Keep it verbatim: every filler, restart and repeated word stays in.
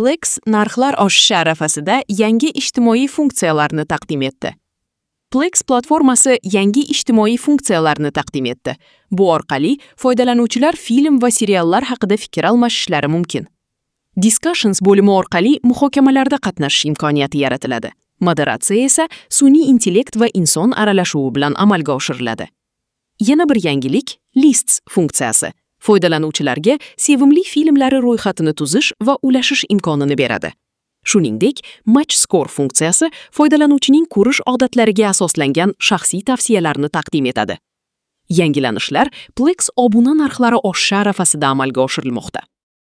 Plex narxlar oshishi arafasida yangi ijtimoiy funksiyalarni taqdim etdi. Plex platformasi yangi ijtimoiy funksiyalarni taqdim etdi. Bu orqali foydalanuvchilar film va seriallar haqida fikr almashishlari mumkin. Discussions bo'limi orqali muhokamalarda qatnashish imkoniyati yaratiladi. Moderatsiya esa sun'iy intellekt va inson aralashuvi bilan amalga oshiriladi. Yana bir yangilik Lists funksiyasi. Foydalanuvchilarga sevimli filmlari ro'yxatini tuzish va ulashish imkonini beradi. Shuningdek, Match Score funksiyasi foydalanuvchining ko'rish odatlariga asoslangan shaxsiy tavsiyalarni taqdim etadi. Yangilanishlar Plex obuna narxlari oshishi arafasida amalga oshirilmoqda.